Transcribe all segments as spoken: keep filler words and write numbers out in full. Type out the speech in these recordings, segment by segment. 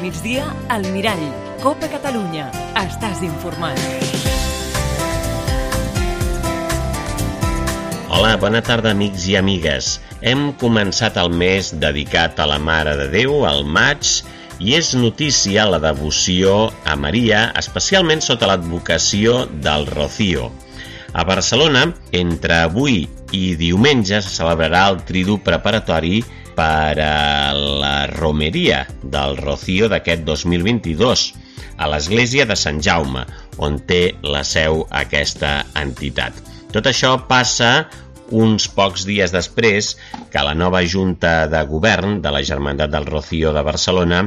migdia, al Mirall. Copa Catalunya. Estàs informat. Hola, bona tarda, amics i amigues. Hem començat el mes dedicat a la Mare de Déu, al maig, i és notícia la devoció a Maria, especialment sota l'advocació del Rocío. A Barcelona, entre avui i diumenge, se celebrarà el tridu preparatori per a la romeria del Rocío d'aquest dos mil vint-i-dos a l'església de Sant Jaume, on té la seu aquesta entitat. Tot això passa uns pocs dies després que la nova Junta de Govern de la Germandat del Rocío de Barcelona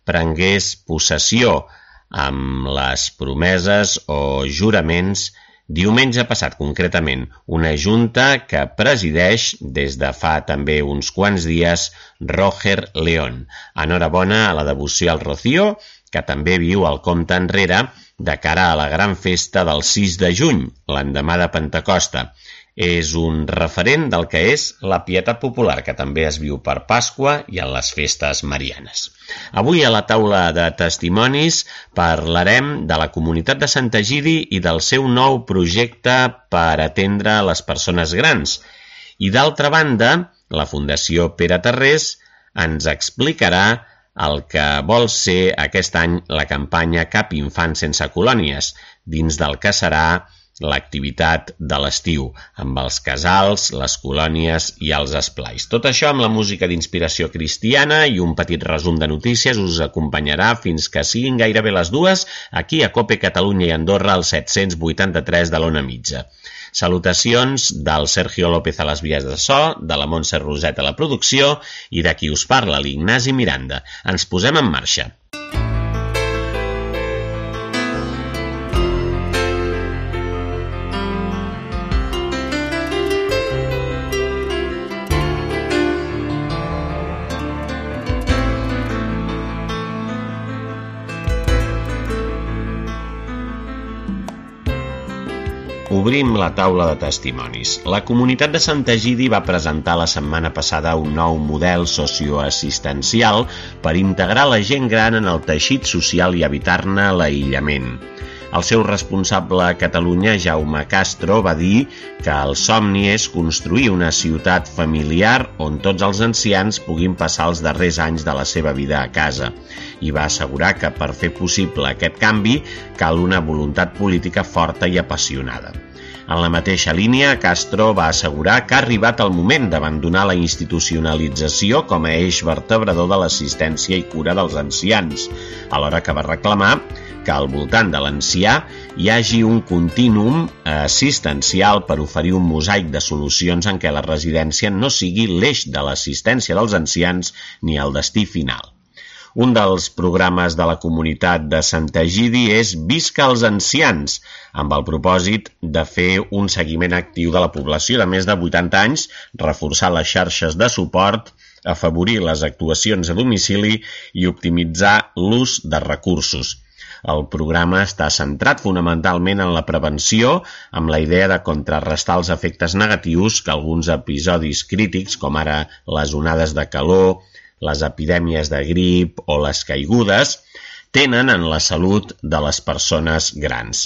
prengués possessió amb les promeses o juraments diumenge passat, concretament, una junta que presideix des de fa també uns quants dies Roger León. Enhorabona a la devoció al Rocío, que també viu el compte enrere de cara a la gran festa del sis de juny, l'endemà de Pentecosta. És un referent del que és la pietat popular, que també es viu per Pasqua i en les festes marianes. Avui a la taula de testimonis parlarem de la comunitat de Sant Egidi i del seu nou projecte per atendre les persones grans. I d'altra banda, la Fundació Pere Tarrés ens explicarà el que vol ser aquest any la campanya Cap infant sense colònies, dins del que serà l'activitat de l'estiu, amb els casals, les colònies i els esplais. Tot això amb la música d'inspiració cristiana i un petit resum de notícies us acompanyarà fins que siguin gairebé les dues aquí a Cope Catalunya i Andorra al set-cents vuitanta-tres de l'Ona Mitja. Salutacions del Sergio López a les vies de so, de la Montse Roset a la producció i de qui us parla, l'Ignasi Miranda. Ens posem en marxa. Obrim la taula de testimonis. La comunitat de Sant Egidi va presentar la setmana passada un nou model socioassistencial per integrar la gent gran en el teixit social i evitar-ne l'aïllament. El seu responsable a Catalunya, Jaume Castro, va dir que el somni és construir una ciutat familiar on tots els ancians puguin passar els darrers anys de la seva vida a casa, i va assegurar que per fer possible aquest canvi cal una voluntat política forta i apassionada. En la mateixa línia, Castro va assegurar que ha arribat el moment d'abandonar la institucionalització com a eix vertebrador de l'assistència i cura dels ancians, alhora que va reclamar que al voltant de l'ancià hi hagi un contínuum assistencial per oferir un mosaic de solucions en què la residència no sigui l'eix de l'assistència dels ancians ni el destí final. Un dels programes de la comunitat de Sant Egidi és Visca els ancians, amb el propòsit de fer un seguiment actiu de la població de més de vuitanta anys, reforçar les xarxes de suport, afavorir les actuacions a domicili i optimitzar l'ús de recursos. El programa està centrat fonamentalment en la prevenció, amb la idea de contrarrestar els efectes negatius que alguns episodis crítics, com ara les onades de calor, les epidèmies de grip o les caigudes, tenen en la salut de les persones grans.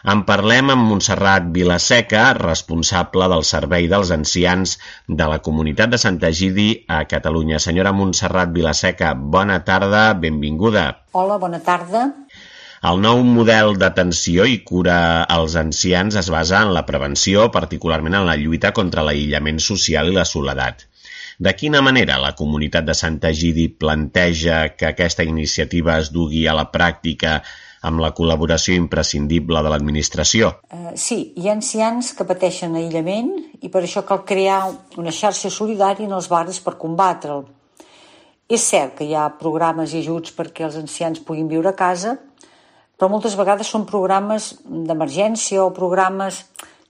En parlem amb Montserrat Vilaseca, responsable del Servei dels Ancians de la Comunitat de Sant Egidi a Catalunya. Senyora Montserrat Vilaseca, bona tarda, benvinguda. Hola, bona tarda. El nou model d'atenció i cura als ancians es basa en la prevenció, particularment en la lluita contra l'aïllament social i la soledat. De quina manera la comunitat de Sant Egidi planteja que aquesta iniciativa es dugui a la pràctica amb la col·laboració imprescindible de l'administració? Uh, sí, hi ha ancians que pateixen aïllament i per això cal crear una xarxa solidària en els barris per combatre'l. És cert que hi ha programes i ajuts perquè els ancians puguin viure a casa, però moltes vegades són programes d'emergència o programes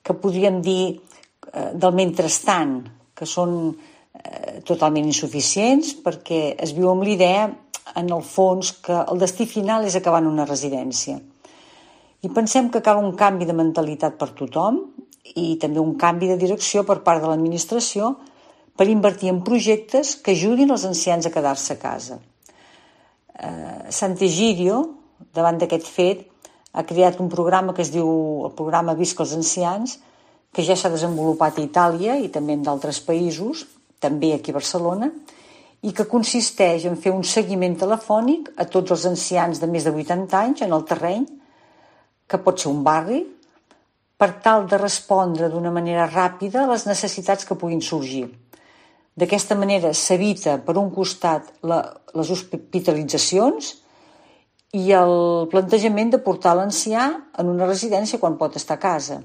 que podríem dir uh, del mentrestant, que són totalment insuficients perquè es viu amb l'idea, en el fons, que el destí final és acabar en una residència. I pensem que cal un canvi de mentalitat per tothom i també un canvi de direcció per part de l'administració per invertir en projectes que ajudin els ancians a quedar-se a casa. Eh, Sant'Egidio, davant d'aquest fet, ha creat un programa que es diu el programa Visca els Ancians, que ja s'ha desenvolupat a Itàlia i també en d'altres països, també aquí a Barcelona, i que consisteix en fer un seguiment telefònic a tots els ancians de més de vuitanta anys en el terreny, que pot ser un barri, per tal de respondre d'una manera ràpida a les necessitats que puguin sorgir. D'aquesta manera s'evita, per un costat, la, les hospitalitzacions i el plantejament de portar l'ancià en una residència quan pot estar a casa.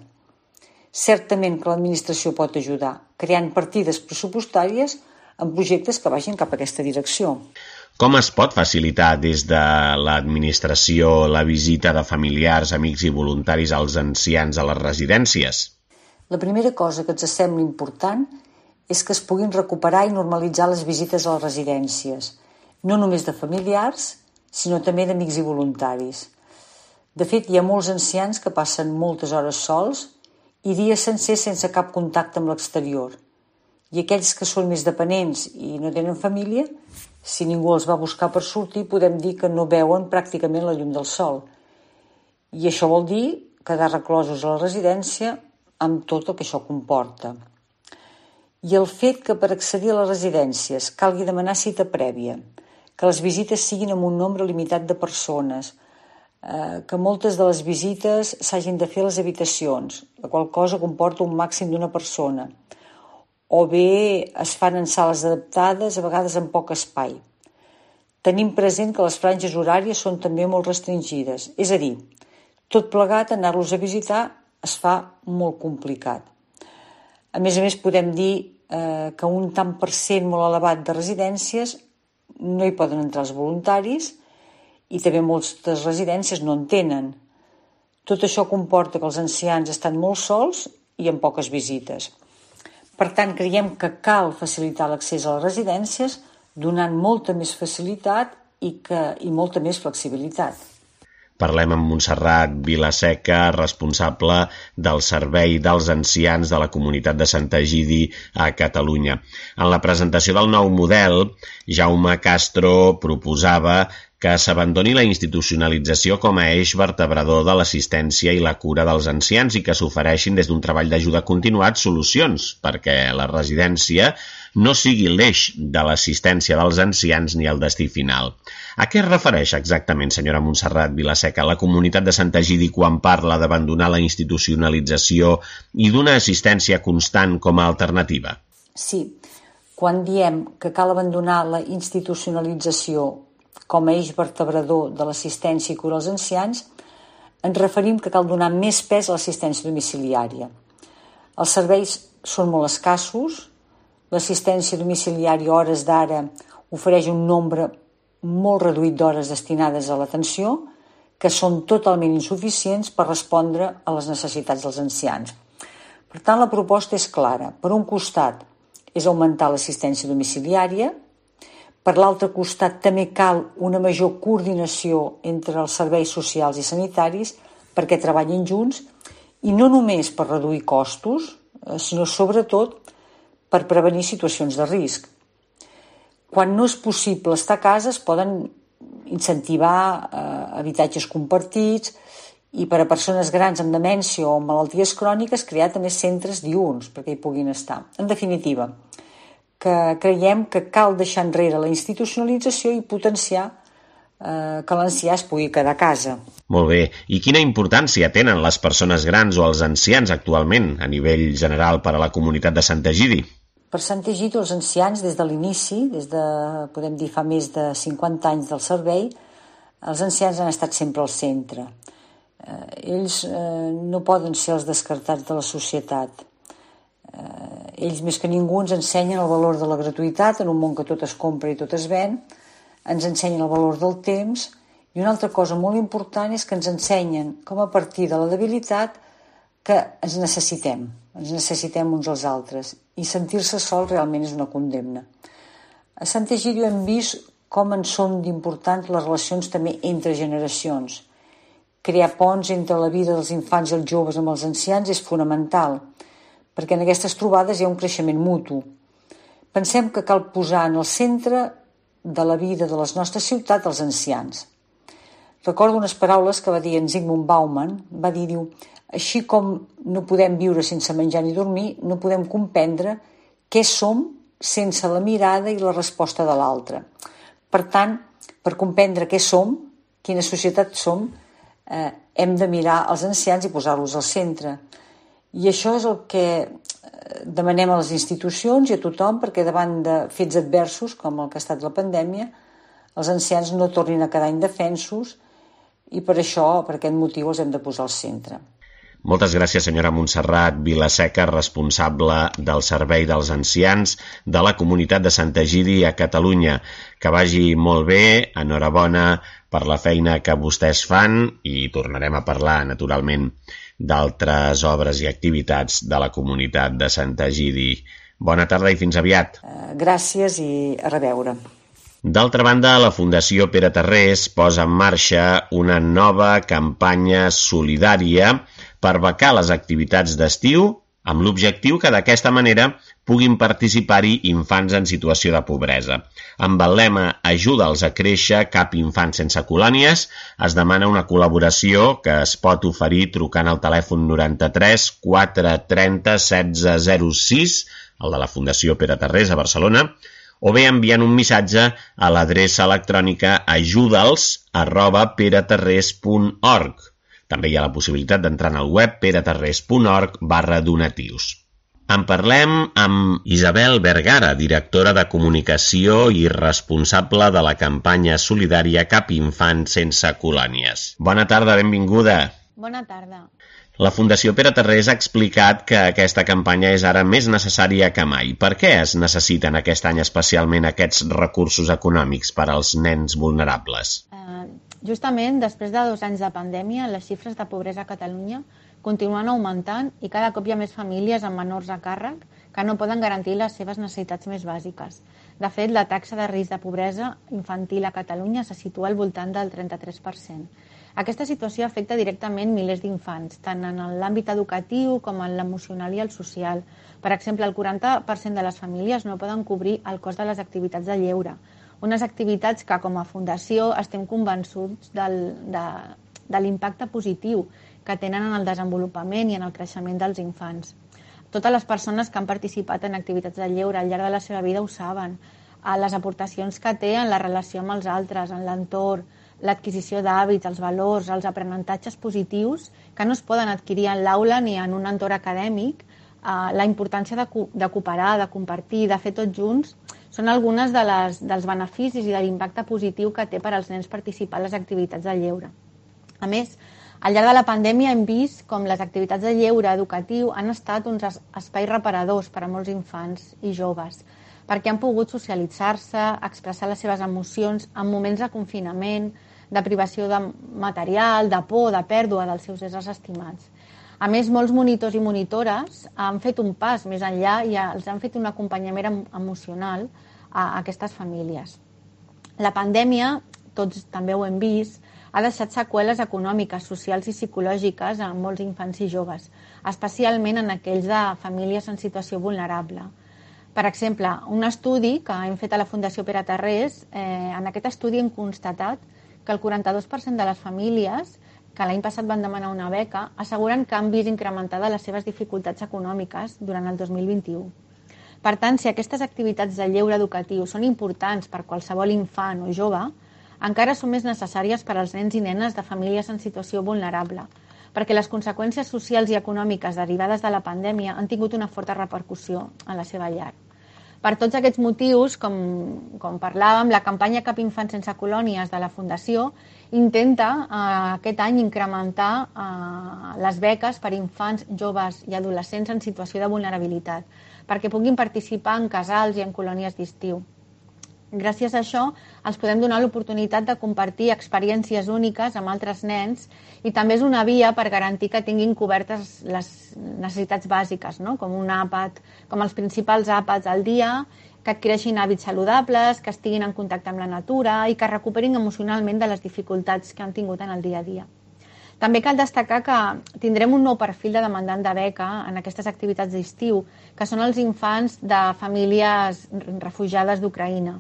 Certament que l'administració pot ajudar, creant partides pressupostàries en projectes que vagin cap a aquesta direcció. Com es pot facilitar des de l'administració la visita de familiars, amics i voluntaris als ancians a les residències? La primera cosa que ens sembla important és que es puguin recuperar i normalitzar les visites a les residències, no només de familiars, sinó també d'amics i voluntaris. De fet, hi ha molts ancians que passen moltes hores sols i dies sencers sense cap contacte amb l'exterior. I aquells que són més dependents i no tenen família, si ningú els va buscar per sortir, podem dir que no veuen pràcticament la llum del sol. I això vol dir quedar reclosos a la residència amb tot el que això comporta. I el fet que per accedir a les residències calgui demanar cita prèvia, que les visites siguin amb un nombre limitat de persones, eh, que moltes de les visites s'hagin de fer a les habitacions, la qual cosa comporta un màxim d'una persona, o bé es fan en sales adaptades, a vegades amb poc espai. Tenim present que les franges horàries són també molt restringides, és a dir, tot plegat, anar-los a visitar es fa molt complicat. A més a més, podem dir eh, que un tant per cent molt elevat de residències no hi poden entrar els voluntaris i també moltes residències no en tenen. Tot això comporta que els ancians estan molt sols i amb poques visites. Per tant, creiem que cal facilitar l'accés a les residències donant molta més facilitat i, que, i molta més flexibilitat. Parlem amb Montserrat Vilaseca, responsable del Servei dels Ancians de la Comunitat de Sant'Egidi a Catalunya. En la presentació del nou model, Jaume Castro proposava que s'abandoni la institucionalització com a eix vertebrador de l'assistència i la cura dels ancians i que s'ofereixin des d'un treball d'ajuda continuat solucions perquè la residència no sigui l'eix de l'assistència dels ancians ni el destí final. A què es refereix exactament, senyora Montserrat Vilaseca, la Comunitat de Sant'Egidi quan parla d'abandonar la institucionalització i d'una assistència constant com a alternativa? Sí, quan diem que cal abandonar la institucionalització com a eix vertebrador de l'assistència i cura als ancians, ens referim que cal donar més pes a l'assistència domiciliària. Els serveis són molt escassos, l'assistència domiciliària a hores d'ara ofereix un nombre molt reduït d'hores destinades a l'atenció, que són totalment insuficients per respondre a les necessitats dels ancians. Per tant, la proposta és clara. Per un costat, és augmentar l'assistència domiciliària. Per l'altre costat, també cal una major coordinació entre els serveis socials i sanitaris perquè treballin junts i no només per reduir costos, sinó sobretot per prevenir situacions de risc. Quan no és possible estar a casa, es poden incentivar eh, habitatges compartits i per a persones grans amb demència o amb malalties cròniques crear també centres diürns perquè hi puguin estar. En definitiva, que creiem que cal deixar enrere la institucionalització i potenciar eh, que l'ancià es pugui quedar a casa. Molt bé. I quina importància tenen les persones grans o els ancians actualment a nivell general per a la comunitat de Sant'Egidi? Per Sant'Egidi, els ancians, des de l'inici, des de, podem dir, fa més de cinquanta anys del servei, els ancians han estat sempre al centre. Eh, ells eh, no poden ser els descartats de la societat. Eh, ells, més que ningú, ens ensenyen el valor de la gratuïtat en un món que tot es compra i tot es ven, ens ensenyen el valor del temps i una altra cosa molt important és que ens ensenyen com a partir de la debilitat que ens necessitem, ens necessitem uns als altres i sentir-se sol realment és una condemna. A Sant'Egidi hem vist com en són d'importants les relacions també entre generacions. Crear ponts entre la vida dels infants i els joves amb els ancians és fonamental, perquè en aquestes trobades hi ha un creixement mutu. Pensem que cal posar en el centre de la vida de les nostres ciutats als ancians. Recordo unes paraules que va dir en Zygmunt Bauman, va dir, diu, així com no podem viure sense menjar ni dormir, no podem comprendre què som sense la mirada i la resposta de l'altre. Per tant, per comprendre què som, quina societat som, eh, hem de mirar els ancians i posar-los al centre. I això és el que demanem a les institucions i a tothom, perquè davant de fets adversos, com el que ha estat la pandèmia, els ancians no tornin a quedar indefensos i per això, per aquest motiu, els hem de posar al centre. Moltes gràcies, senyora Montserrat Vilaseca, responsable del Servei dels Ancians de la Comunitat de Sant Egidi a Catalunya. Que vagi molt bé, enhorabona per la feina que vostès fan i tornarem a parlar, naturalment, d'altres obres i activitats de la Comunitat de Sant Egidi. Bona tarda i fins aviat. Gràcies i a reveure. D'altra banda, la Fundació Pere Tarrés posa en marxa una nova campanya solidària per becar les activitats d'estiu amb l'objectiu que d'aquesta manera puguin participar-hi infants en situació de pobresa. Amb el lema Ajuda'ls a créixer, cap infant sense colònies, es demana una col·laboració que es pot oferir trucant al telèfon noranta-tres quatre trenta setze zero sis, el de la Fundació Pere Tarrés a Barcelona, o bé enviant un missatge a l'adreça electrònica ajuda'ls arroba peretarrés punt org. També hi ha la possibilitat d'entrar en el web peretarrés punt org barra donatius. En parlem amb Isabel Vergara, directora de comunicació i responsable de la campanya solidària Cap infant sense colònies. Bona tarda, benvinguda. Bona tarda. La Fundació Pere Tarrés ha explicat que aquesta campanya és ara més necessària que mai. Per què es necessiten aquest any especialment aquests recursos econòmics per als nens vulnerables? Uh, justament, després de dos anys de pandèmia, les xifres de pobresa a Catalunya continuen augmentant i cada cop hi ha més famílies amb menors a càrrec que no poden garantir les seves necessitats més bàsiques. De fet, la taxa de risc de pobresa infantil a Catalunya se situa al voltant del trenta-tres per cent. Aquesta situació afecta directament milers d'infants, tant en l'àmbit educatiu com en l'emocional i el social. Per exemple, el quaranta per cent de les famílies no poden cobrir el cost de les activitats de lleure, unes activitats que, com a fundació, estem convençuts del, de, de l'impacte positiu que tenen en el desenvolupament i en el creixement dels infants. Totes les persones que han participat en activitats de lleure al llarg de la seva vida ho saben. Les aportacions que té en la relació amb els altres, en l'entorn, l'adquisició d'hàbits, els valors, els aprenentatges positius que no es poden adquirir en l'aula ni en un entorn acadèmic, eh, la importància de, co de cooperar, de compartir, de fer tots junts, són algunes de les, dels beneficis i de l'impacte positiu que té per als nens participar en les activitats de lleure. A més, al llarg de la pandèmia hem vist com les activitats de lleure educatiu han estat uns espais reparadors per a molts infants i joves, perquè han pogut socialitzar-se, expressar les seves emocions en moments de confinament, de privació de material, de por, de pèrdua dels seus éssers estimats. A més, molts monitors i monitores han fet un pas més enllà i els han fet un acompanyament emocional a aquestes famílies. La pandèmia, tots també ho hem vist, ha deixat seqüeles econòmiques, socials i psicològiques a molts infants i joves, especialment en aquells de famílies en situació vulnerable. Per exemple, un estudi que hem fet a la Fundació Pere Tarrés, eh, en aquest estudi hem constatat que el quaranta-dos per cent de les famílies que l'any passat van demanar una beca asseguren que han vist incrementades les seves dificultats econòmiques durant el dos mil vint-i-u. Per tant, si aquestes activitats de lleure educatiu són importants per qualsevol infant o jove, encara són més necessàries per als nens i nenes de famílies en situació vulnerable, perquè les conseqüències socials i econòmiques derivades de la pandèmia han tingut una forta repercussió en la seva llar. Per tots aquests motius, com, com parlàvem, la campanya Cap infant sense colònies de la Fundació intenta eh, aquest any incrementar eh, les beques per infants, joves i adolescents en situació de vulnerabilitat, perquè puguin participar en casals i en colònies d'estiu. Gràcies a això, els podem donar l'oportunitat de compartir experiències úniques amb altres nens i també és una via per garantir que tinguin cobertes les necessitats bàsiques, no? com un àpat, com els principals àpats al dia, que adquireixin hàbits saludables, que estiguin en contacte amb la natura i que recuperin emocionalment de les dificultats que han tingut en el dia a dia. També cal destacar que tindrem un nou perfil de demandant de beca en aquestes activitats d'estiu, que són els infants de famílies refugiades d'Ucraïna.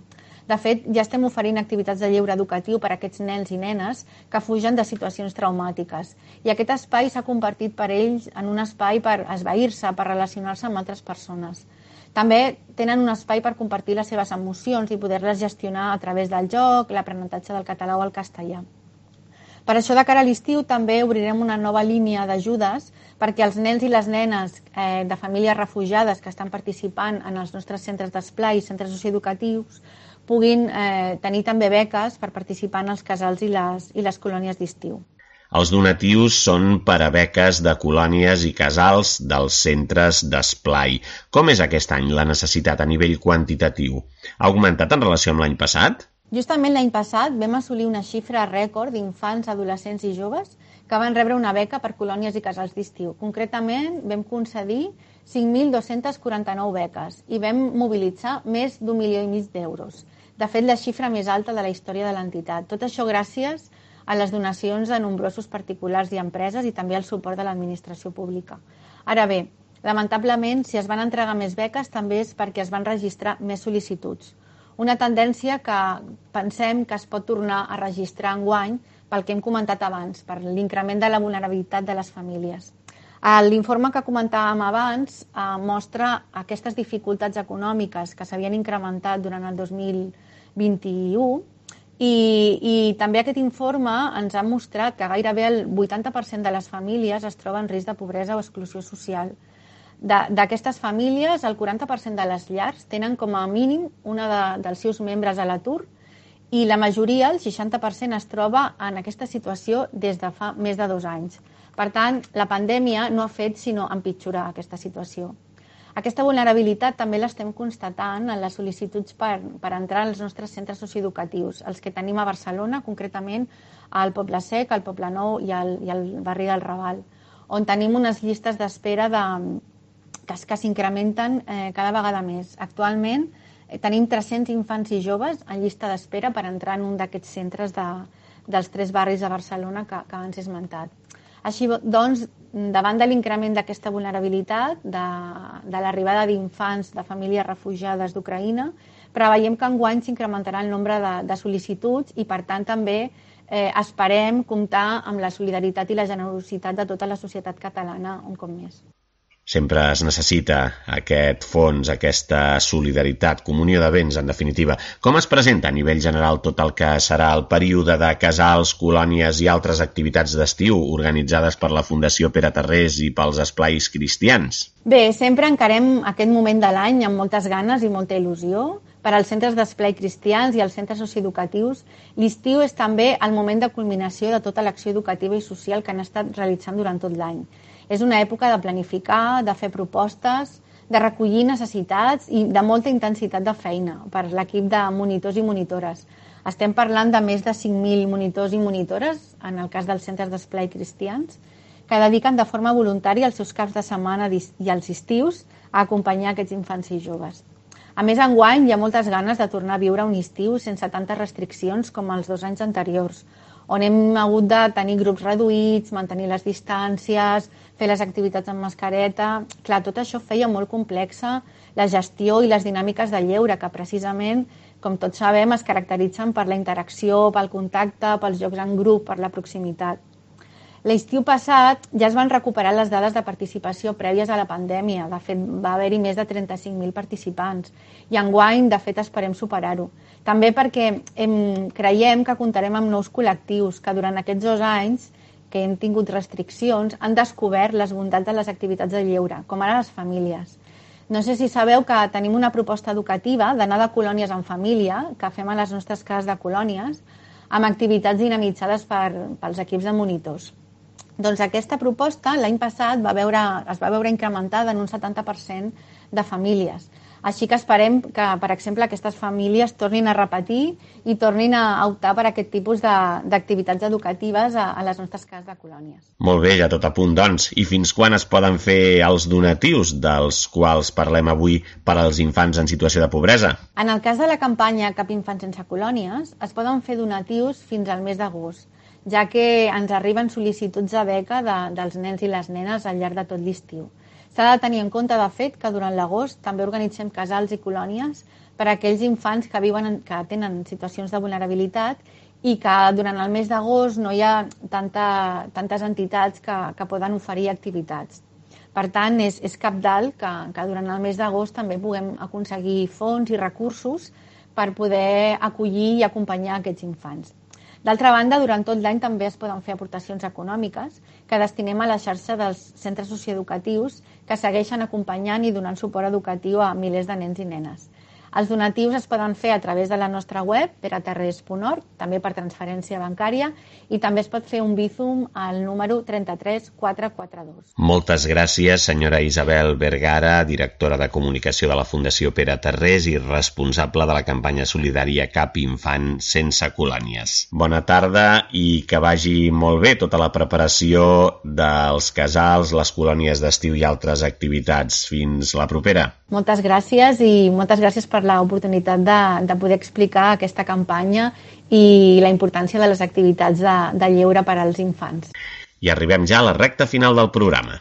De fet, ja estem oferint activitats de lleure educatiu per a aquests nens i nenes que fugen de situacions traumàtiques. I aquest espai s'ha convertit per ells en un espai per esvair-se, per relacionar-se amb altres persones. També tenen un espai per compartir les seves emocions i poder-les gestionar a través del joc, l'aprenentatge del català o el castellà. Per això, de cara a l'estiu, també obrirem una nova línia d'ajudes perquè els nens i les nenes eh, de famílies refugiades que estan participant en els nostres centres d'esplai i centres socioeducatius puguin eh, tenir també beques per participar en els casals i les, i les colònies d'estiu. Els donatius són per a beques de colònies i casals dels centres d'esplai. Com és aquest any la necessitat a nivell quantitatiu? Ha augmentat en relació amb l'any passat? Justament l'any passat vam assolir una xifra rècord d'infants, adolescents i joves que van rebre una beca per colònies i casals d'estiu. Concretament, vam concedir cinc mil dos-centes quaranta-nou beques i vam mobilitzar més d'un milió i mig d'euros. De fet, la xifra més alta de la història de l'entitat. Tot això gràcies a les donacions de nombrosos particulars i empreses i també al suport de l'administració pública. Ara bé, lamentablement, si es van entregar més beques també és perquè es van registrar més sol·licituds. Una tendència que pensem que es pot tornar a registrar enguany pel que hem comentat abans, per l'increment de la vulnerabilitat de les famílies. L'informe que comentàvem abans eh, mostra aquestes dificultats econòmiques que s'havien incrementat durant el dos mil vint-i-u i, i també aquest informe ens ha mostrat que gairebé el vuitanta per cent de les famílies es troba en risc de pobresa o exclusió social. D'aquestes famílies, el quaranta per cent de les llars tenen com a mínim una de, dels seus membres a l'atur i la majoria, el seixanta per cent, es troba en aquesta situació des de fa més de dos anys. Per tant, la pandèmia no ha fet sinó empitjorar aquesta situació. Aquesta vulnerabilitat també l'estem constatant en les sol·licituds per, per entrar als nostres centres socioeducatius, els que tenim a Barcelona, concretament al Poble Sec, al Poble Nou i al, i al barri del Raval, on tenim unes llistes d'espera de, que, que s'incrementen eh, cada vegada més. Actualment eh, tenim tres-cents infants i joves en llista d'espera per entrar en un d'aquests centres de, dels tres barris de Barcelona que, que abans he esmentat. Així doncs, davant de l'increment d'aquesta vulnerabilitat, de, de l'arribada d'infants de famílies refugiades d'Ucraïna, preveiem que enguany s'incrementarà el nombre de, de sol·licituds i, per tant, també eh, esperem comptar amb la solidaritat i la generositat de tota la societat catalana un cop més. Sempre es necessita aquest fons, aquesta solidaritat, comunió de béns, en definitiva. Com es presenta a nivell general tot el que serà el període de casals, colònies i altres activitats d'estiu organitzades per la Fundació Pere Tarrés i pels esplais cristians? Bé, sempre encarem aquest moment de l'any amb moltes ganes i molta il·lusió. Per als centres d'esplai cristians i als centres socioeducatius, l'estiu és també el moment de culminació de tota l'acció educativa i social que han estat realitzant durant tot l'any. És una època de planificar, de fer propostes, de recollir necessitats i de molta intensitat de feina per l'equip de monitors i monitores. Estem parlant de més de cinc mil monitors i monitores, en el cas dels centres d'esplai cristians, que dediquen de forma voluntària els seus caps de setmana i els estius a acompanyar aquests infants i joves. A més, enguany hi ha moltes ganes de tornar a viure un estiu sense tantes restriccions com els dos anys anteriors, on hem hagut de tenir grups reduïts, mantenir les distàncies, fer les activitats amb mascareta. Clar, tot això feia molt complexa la gestió i les dinàmiques de lleure, que precisament, com tots sabem, es caracteritzen per la interacció, pel contacte, pels jocs en grup, per la proximitat. L'estiu passat ja es van recuperar les dades de participació prèvies a la pandèmia. De fet, va haver-hi més de trenta-cinc mil participants. I enguany, de fet, esperem superar-ho. També perquè hem, creiem que comptarem amb nous col·lectius que durant aquests dos anys que hem tingut restriccions han descobert les bondats de les activitats de lleure, com ara les famílies. No sé si sabeu que tenim una proposta educativa d'anar de colònies en família, que fem a les nostres cases de colònies, amb activitats dinamitzades per, pels equips de monitors. Doncs aquesta proposta l'any passat va veure, es va veure incrementada en un setanta per cent de famílies. Així que esperem que, per exemple, aquestes famílies tornin a repetir i tornin a optar per aquest tipus d'activitats educatives a, a les nostres cases de colònies. Molt bé, ja tot a punt, doncs. I fins quan es poden fer els donatius dels quals parlem avui per als infants en situació de pobresa? En el cas de la campanya Cap infant sense colònies, es poden fer donatius fins al mes d'agost, ja que ens arriben sol·licituds de beca de, dels nens i les nenes al llarg de tot l'estiu. S'ha de tenir en compte, de fet, que durant l'agost també organitzem casals i colònies per a aquells infants que viuen, que tenen situacions de vulnerabilitat i que durant el mes d'agost no hi ha tanta, tantes entitats que, que poden oferir activitats. Per tant, és, és cabdal que, que durant el mes d'agost també puguem aconseguir fons i recursos per poder acollir i acompanyar aquests infants. D'altra banda, durant tot l'any també es poden fer aportacions econòmiques que destinem a la xarxa dels centres socioeducatius que segueixen acompanyant i donant suport educatiu a milers de nens i nenes. Els donatius es poden fer a través de la nostra web, peraterres punt org, també per transferència bancària, i també es pot fer un Bizum al número trenta-tres quatre quaranta-dos. Moltes gràcies, senyora Isabel Vergara, directora de comunicació de la Fundació Pere Tarrés i responsable de la campanya solidària Cap Infant Sense Colònies. Bona tarda i que vagi molt bé tota la preparació dels casals, les colònies d'estiu i altres activitats. Fins la propera. Moltes gràcies i moltes gràcies per l'oportunitat de, de poder explicar aquesta campanya i la importància de les activitats de, de lleure per als infants. I arribem ja a la recta final del programa.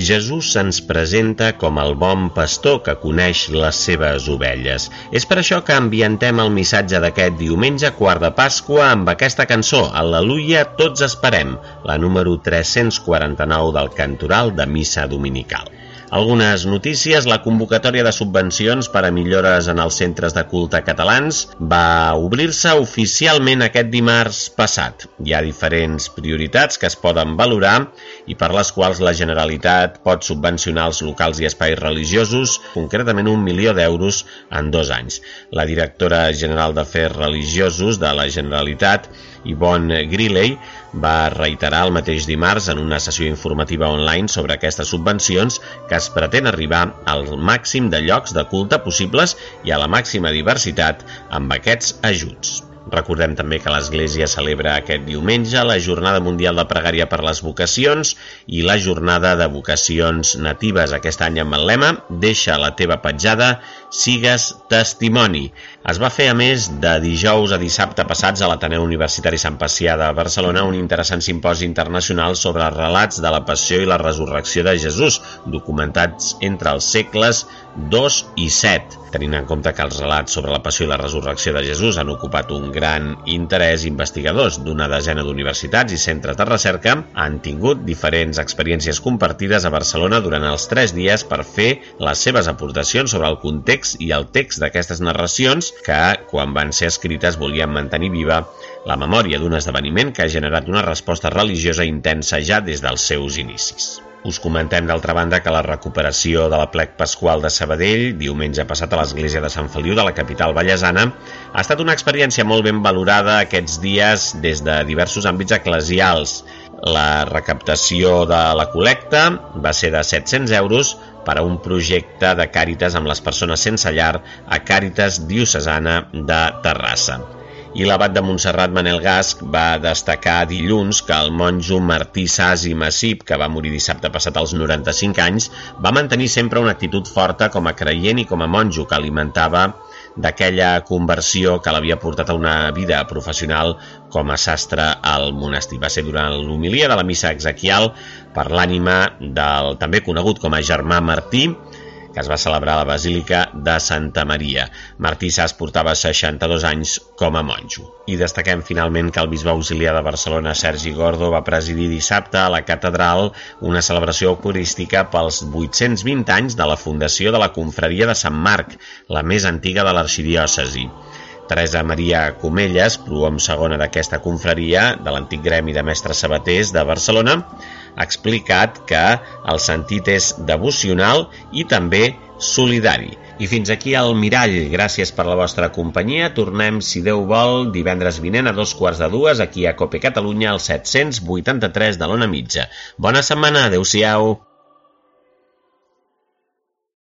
Jesús se'ns presenta com el bon pastor que coneix les seves ovelles. És per això que ambientem el missatge d'aquest diumenge quart de Pasqua amb aquesta cançó, Al·leluia, tots esperem, la número tres-cents quaranta-nou del cantoral de missa dominical. Algunes notícies. La convocatòria de subvencions per a millores en els centres de culte catalans va obrir-se oficialment aquest dimarts passat. Hi ha diferents prioritats que es poden valorar i per les quals la Generalitat pot subvencionar els locals i espais religiosos, concretament un milió d'euros en dos anys. La directora general d'Afers Religiosos de la Generalitat, Yvonne Griley, va reiterar el mateix dimarts en una sessió informativa online sobre aquestes subvencions que es pretén arribar al màxim de llocs de culte possibles i a la màxima diversitat amb aquests ajuts. Recordem també que l'Església celebra aquest diumenge la Jornada Mundial de Pregària per les Vocacions i la Jornada de Vocacions Natives, aquest any amb el lema Deixa la teva petjada, sigues testimoni. Es va fer, a més, de dijous a dissabte passats a l'Ateneu Universitari Sant Pacià de Barcelona un interessant simposi internacional sobre relats de la passió i la resurrecció de Jesús, documentats entre els segles dos i set. Tenint en compte que els relats sobre la passió i la resurrecció de Jesús han ocupat un gran interès, investigadors d'una desena d'universitats i centres de recerca han tingut diferents experiències compartides a Barcelona durant els tres dies per fer les seves aportacions sobre el context i el text d'aquestes narracions que, quan van ser escrites, volien mantenir viva la memòria d'un esdeveniment que ha generat una resposta religiosa intensa ja des dels seus inicis. Us comentem, d'altra banda, que la recuperació de l'aplec pasqual de Sabadell, diumenge passat a l'església de Sant Feliu de la capital vallesana, ha estat una experiència molt ben valorada aquests dies des de diversos àmbits eclesials. La recaptació de la col·lecta va ser de set-cents euros per a un projecte de Càritas amb les persones sense llar a Càritas Diocesana de Terrassa. I l'abat de Montserrat, Manel Gasch, va destacar dilluns que el monjo Martí Sas i Massip, que va morir dissabte passat als noranta-cinc anys, va mantenir sempre una actitud forta com a creient i com a monjo que alimentava d'aquella conversió que l'havia portat a una vida professional com a sastre al monestir. Va ser durant l'homilia de la missa exequial per l'ànima del també conegut com a Germà Martí, que es va celebrar a la Basílica de Santa Maria. Martí Sas portava seixanta-dos anys com a monjo. I destaquem finalment que el bisbe auxiliar de Barcelona, Sergi Gordo, va presidir dissabte a la catedral una celebració eucarística pels vuit-cents vint anys de la fundació de la confraria de Sant Marc, la més antiga de l'arxidiòcesi. Teresa Maria Comelles, prohom segona d'aquesta confraria, de l'antic gremi de mestres sabaters de Barcelona, ha explicat que el sentit és devocional i també solidari. I fins aquí el Mirall. Gràcies per la vostra companyia. Tornem, si Déu vol, divendres vinent a dos quarts de dues aquí a Cope Catalunya, al set-cents vuitanta-tres de l'Ona Mitja. Bona setmana, adeu-siau.